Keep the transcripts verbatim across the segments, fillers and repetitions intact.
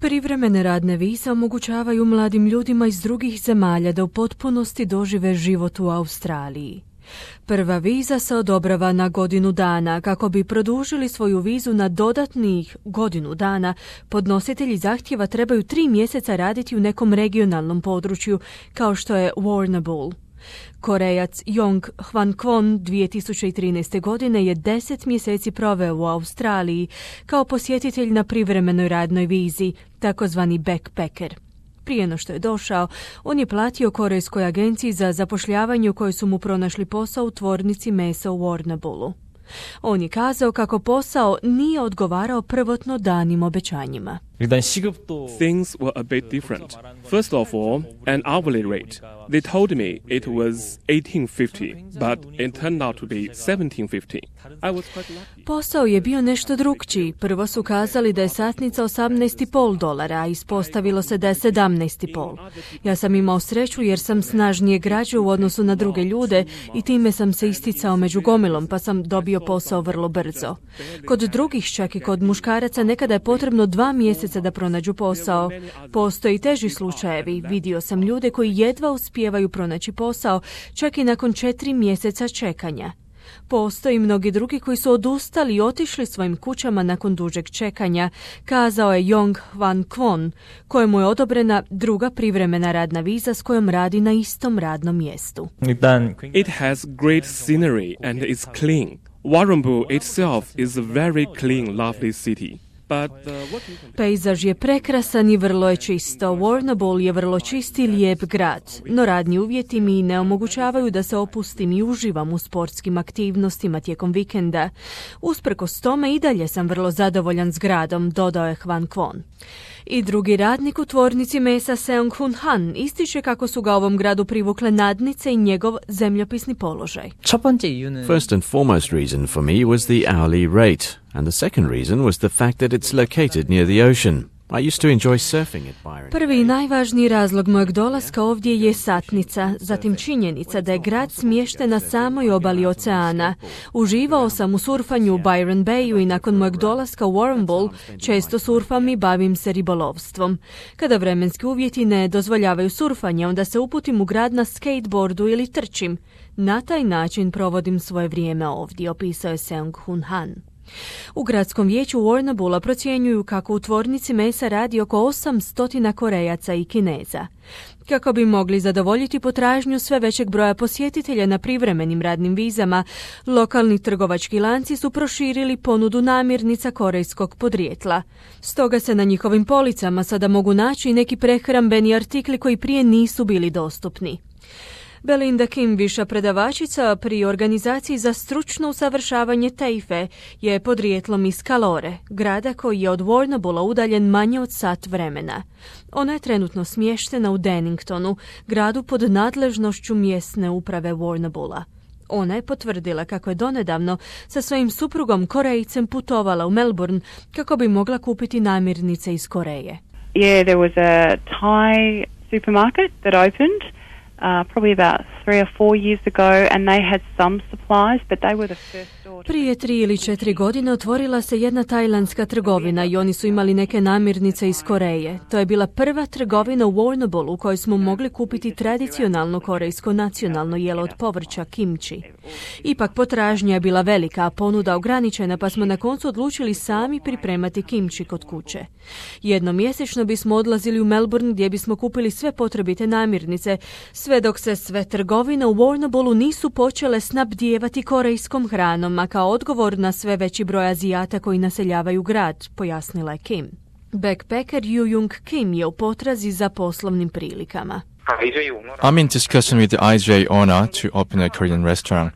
Privremene radne vize omogućavaju mladim ljudima iz drugih zemalja da u potpunosti dožive život u Australiji. Prva viza se odobrava na godinu dana. Kako bi produžili svoju vizu na dodatnih godinu dana, podnositelji zahtjeva trebaju tri mjeseca raditi u nekom regionalnom području, kao što je Warrnambool. Korejac Jong Hwan Kwon dvije tisuće trinaeste. godine je deset mjeseci proveo u Australiji kao posjetitelj na privremenoj radnoj vizi, takozvani backpacker. Prije no što je došao, on je platio korejskoj agenciji za zapošljavanje u kojoj su mu pronašli posao u tvornici mesa u Warrnamboolu. On je kazao kako posao nije odgovarao prvotno danim obećanjima. Things were a bit different. First of all, an hourly rate. They told me it was eighteen fifty, but it turned out to be seventeen fifty. I was quite lucky. Posao je bio nešto drukčiji. Prvo su kazali da je satnica osamnaest i pol dolara, a ispostavilo se da je sedamnaest i pol. Ja sam imao sreću jer sam snažnije građao u odnosu na druge ljude i time sam se isticao među gomilom, pa sam dobio posao vrlo brzo. Kod drugih, čak i kod muškaraca, nekada je potrebno dva mjeseca da pronađu posao. Postoje i teži slučajevi. Vidio sam ljude koji jedva uspijevaju pronaći posao, čak i nakon četiri mjeseca čekanja. Postoji mnogi drugi koji su odustali i otišli svojim kućama nakon dužeg čekanja, kazao je Jong Hwan Kwon, kojemu je odobrena druga privremena radna viza s kojom radi na istom radnom mjestu. It has great scenery and is clean. Warrnambool itself is a very clean, lovely city. Pejzaž je prekrasan i vrlo je čisto. Warrnambool je vrlo čist i lijep grad, no radni uvjeti mi ne omogućavaju da se opustim i uživam u sportskim aktivnostima tijekom vikenda. Usprkos tome i dalje sam vrlo zadovoljan s gradom, dodao je Hwan Kwon. I drugi radnik u tvornici mesa Seong Hun Han ističe kako su ga ovom gradu privukle nadnice i njegov zemljopisni položaj. First and foremost reason for me was the hourly rate, and the second reason was the fact that it's located near the ocean. I used to enjoy surfing at Byron. Prvi i najvažniji razlog mojeg dolaska ovdje je satnica, zatim činjenica da je grad smješten na samoj obali oceana. Uživao sam u surfanju u Byron Bayu i nakon mojeg dolaska u Warrnambool često surfam i bavim se ribolovstvom. Kada vremenski uvjeti ne dozvoljavaju surfanje, onda se uputim u grad na skateboardu ili trčim. Na taj način provodim svoje vrijeme ovdje, opisao je Seong Hun Han. U gradskom vijeću Warrnamboola procjenjuju kako u tvornici mesa radi oko osamsto Korejaca i Kineza. Kako bi mogli zadovoljiti potražnju sve većeg broja posjetitelja na privremenim radnim vizama, lokalni trgovački lanci su proširili ponudu namirnica korejskog podrijetla. Stoga se na njihovim policama sada mogu naći neki prehrambeni artikli koji prije nisu bili dostupni. Belinda Kim, viša predavačica pri organizaciji za stručno usavršavanje TAFE, je podrijetlom iz Kalore, grada koji je od Warrnamboola udaljen manje od sat vremena. Ona je trenutno smještena u Danningtonu, gradu pod nadležnošću mjesne uprave Warrnamboola. Ona je potvrdila kako je donedavno sa svojim suprugom Korejcem putovala u Melbourne kako bi mogla kupiti namirnice iz Koreje. Yeah, there was a Thai supermarket that opened Uh, probably about three or four years ago, and they had some supplies, but they were the first store. Prije tri ili četiri godine otvorila se jedna tajlandska trgovina i oni su imali neke namirnice iz Koreje. To je bila prva trgovina u Warrnamboolu u kojoj smo mogli kupiti tradicionalno korejsko nacionalno jelo od povrća kimchi. Ipak potražnja je bila velika, a ponuda ograničena, pa smo na koncu odlučili sami pripremati kimchi kod kuće. Jednom mjesečno bismo odlazili u Melbourne gdje bismo kupili sve potrebite namirnice, sve dok se sve trgovine u Warrnamboolu nisu počele snabdijevati korejskom hranom, a kao odgovor na sve veći broj Azijata koji naseljavaju grad, pojasnila je Kim. Backpacker Yu Jung Kim je u potrazi za poslovnim prilikama. I'm in discussion with the I J owner to open a Korean restaurant.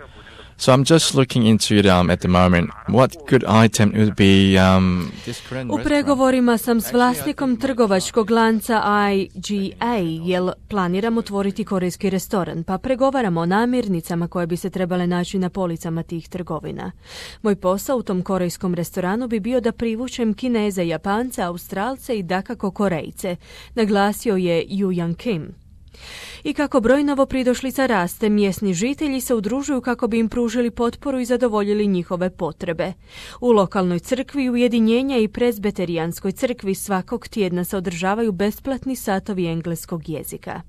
So I'm just looking into it um, at the moment. What good item would be um, this Korean U pregovorima sam s vlasnikom trgovačkog lanca I G A, jer planiram otvoriti korejski restoran, pa pregovaramo o namirnicama koje bi se trebale naći na policama tih trgovina. Moj posao u tom korejskom restoranu bi bio da privučem Kineze, Japance, Australce i dakako Korejce, naglasio je Yu Yang Kim. I kako broj novopridošlica raste, mjesni žitelji se udružuju kako bi im pružili potporu i zadovoljili njihove potrebe. U lokalnoj crkvi ujedinjenja i presbeterijanskoj crkvi svakog tjedna se održavaju besplatni satovi engleskog jezika.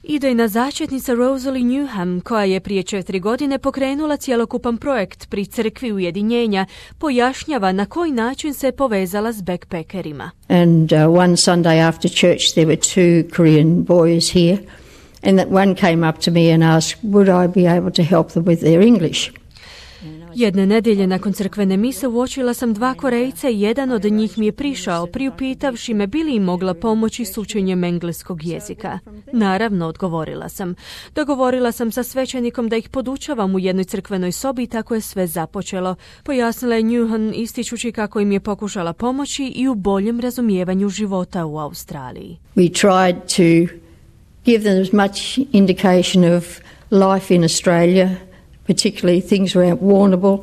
Idejna začetnica Rosalie Newham, koja je prije četiri godine pokrenula cjelokupan projekt pri crkvi ujedinjenja, pojašnjava na koji način se povezala s backpackerima. And uh, one Sunday after church there were two Korean boys here, and that one came up to me and asked would I be able to help them with their English. Jedne nedjelje nakon crkvene mise uočila sam dva Korejca i jedan od njih mi je prišao priupitavši me bi li im mogla pomoći s učenjem engleskog jezika. Naravno, odgovorila sam. Dogovorila sam sa svećenikom da ih podučavam u jednoj crkvenoj sobi i tako je sve započelo. Pojasnila je Newhan ističući kako im je pokušala pomoći i u boljem razumijevanju života u Australiji. We tried to give them as much indication of life in Australia, particularly things around Warrnambool.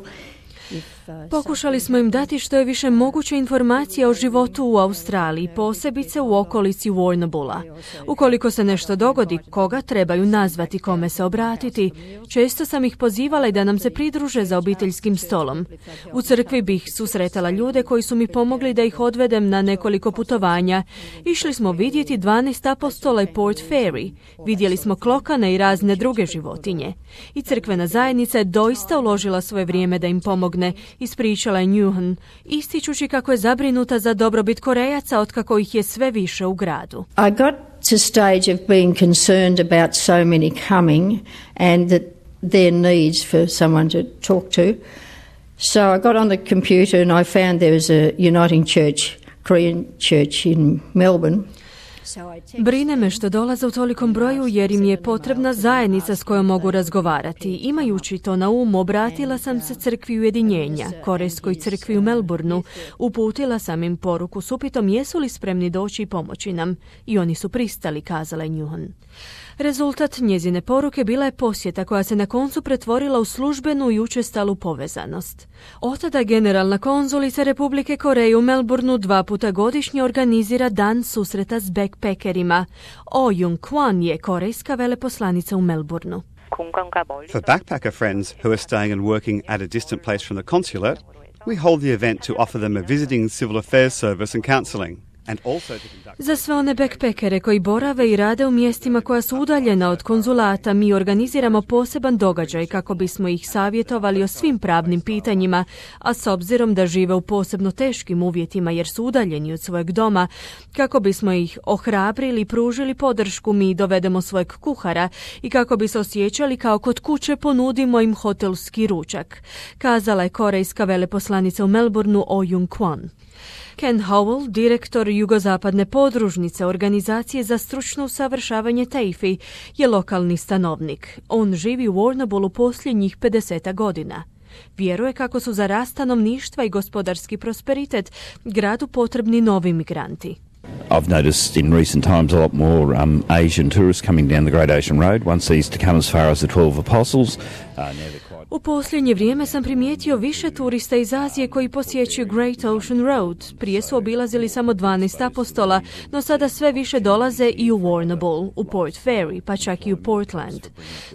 Pokušali smo im dati što je više moguće informacija o životu u Australiji, posebice u okolici Warrnamboola. Ukoliko se nešto dogodi, koga trebaju nazvati, kome se obratiti. Često sam ih pozivala i da nam se pridruže za obiteljskim stolom. U crkvi bih susretala ljude koji su mi pomogli da ih odvedem na nekoliko putovanja. Išli smo vidjeti dvanaest apostola i Port Fairy. Vidjeli smo klokane i razne druge životinje. I crkvena zajednica je doista uložila svoje vrijeme da im pomogne, ispričala je Newhan, ističući kako je zabrinuta za dobrobit Korejaca otkako ih je sve više u gradu. I got to stage of being concerned about so many coming and that their needs for someone to talk to. So I got on the computer and I found there was a Uniting Church, Korean church in Melbourne. Brine me što dolaze u tolikom broju jer im je potrebna zajednica s kojom mogu razgovarati. Imajući to na umu, obratila sam se crkvi ujedinjenja, Korejskoj crkvi u Melbourneu. Uputila sam im poruku s upitom jesu li spremni doći i pomoći nam. I oni su pristali, kazala je Newhan. Rezultat njezine poruke bila je posjeta koja se na koncu pretvorila u službenu i učestalu povezanost. Od tada generalna konzulica Republike Koreje u Melbourneu dva puta godišnje organizira dan susreta s backpackerima. Oh Jung-kwon je korejska veleposlanica u Melbourneu. For backpacker friends who are staying and working at a distant place from the consulate, we hold the event to offer them a visiting civil affairs service and counselling. Za sve one backpackere koji borave i rade u mjestima koja su udaljena od konzulata, mi organiziramo poseban događaj kako bismo ih savjetovali o svim pravnim pitanjima, a s obzirom da žive u posebno teškim uvjetima jer su udaljeni od svojeg doma, kako bismo ih ohrabrili i pružili podršku, mi dovedemo svojeg kuhara i kako bi se osjećali kao kod kuće ponudimo im hotelski ručak, kazala je korejska veleposlanica u Melbourneu Oh Jung-kwon. Ken Howell, direktor jugozapadne podružnice Organizacije za stručno usavršavanje T A F E, je lokalni stanovnik. On živi u Warrnamboolu posljednjih pedeset godina. Vjeruje kako su za rast stanovništva i gospodarski prosperitet gradu potrebni novi migranti. I've noticed in recent times a lot more um, Asian tourists coming down the Great Ocean Road. One sees to come as far as the Twelve Apostles. Uh, now they're quite... U posljednje vrijeme sam primijetio više turista iz Azije koji posjećuju Great Ocean Road. Prije su obilazili samo dvanaest apostola, no sada sve više dolaze i u Warrnambool, u Port Fairy, pa čak i u Portland.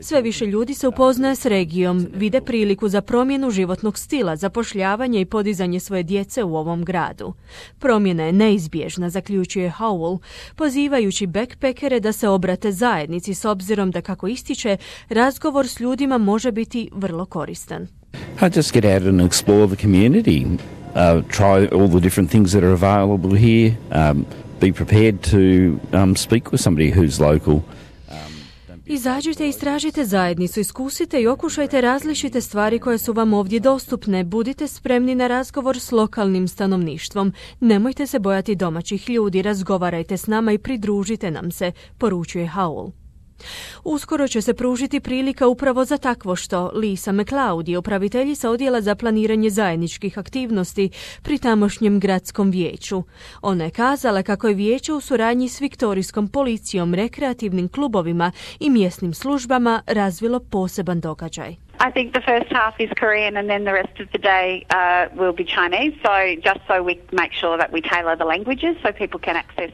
Sve više ljudi se upoznaje s regijom, vide priliku za promjenu životnog stila, zapošljavanje i podizanje svoje djece u ovom gradu. Promjena je neizbježna, zaključuje Howell, pozivajući backpackere da se obrate zajednici s obzirom da, kako ističe, razgovor s ljudima može biti vrlo koristan. I just get out and explore the community, uh, try all the different things that are available here, um, be prepared to um, speak with somebody who's local. Izađite i istražite zajednicu, iskusite i okušajte različite stvari koje su vam ovdje dostupne. Budite spremni na razgovor s lokalnim stanovništvom. Nemojte se bojati domaćih ljudi, razgovarajte s nama i pridružite nam se, poručuje Howell. Uskoro će se pružiti prilika upravo za takvo što. Lisa McLeod je upraviteljica odjela za planiranje zajedničkih aktivnosti pri tamošnjem gradskom vijeću. Ona je kazala kako je vijeće u suradnji s viktorijskom policijom, rekreativnim klubovima i mjesnim službama razvilo poseban događaj. I think the first half is Korean and then the rest of the day uh, will be Chinese, so just so we make sure that we tailor the languages so people can access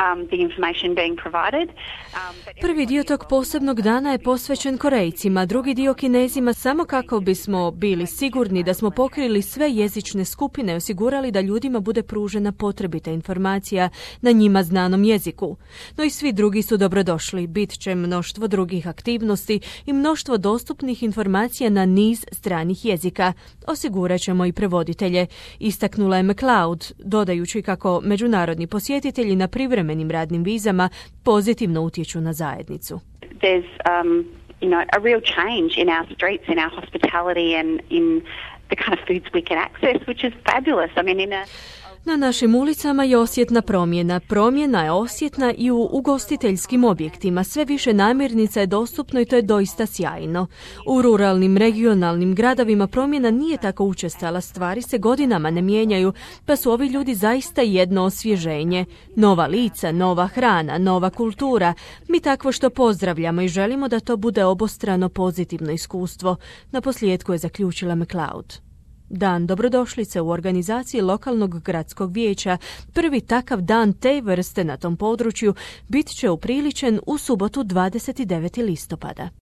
um, the information being provided. Um, Prvi dio tog posebnog dana je posvećen Korejcima, drugi dio Kinezima, samo kako bismo bili sigurni da smo pokrili sve jezične skupine i osigurali da ljudima bude pružena potrebita informacija na njima znanom jeziku. No i svi drugi su dobrodošli. Bit će mnoštvo drugih aktivnosti i mnoštvo dostupnih informacija na niz stranih jezika. Osigurat ćemo i prevoditelje, istaknula je McLeod, dodajući kako međunarodni posjetitelji na privremenim radnim vizama pozitivno utječu na zajednicu. There's um, you know, a real change in our streets, in our hospitality and in the kind of foods we can access, which is fabulous. I mean, in a Na našim ulicama je osjetna promjena. Promjena je osjetna i u ugostiteljskim objektima. Sve više namirnica je dostupno i to je doista sjajno. U ruralnim, regionalnim gradovima promjena nije tako učestala. Stvari se godinama ne mijenjaju, pa su ovi ljudi zaista jedno osvježenje. Nova lica, nova hrana, nova kultura. Mi takvo što pozdravljamo i želimo da to bude obostrano pozitivno iskustvo. Na posljedku je zaključila McLeod. Dan dobrodošlice u organizaciji lokalnog gradskog vijeća, prvi takav dan te vrste na tom području, bit će upriličen u subotu dvadeset devetog listopada.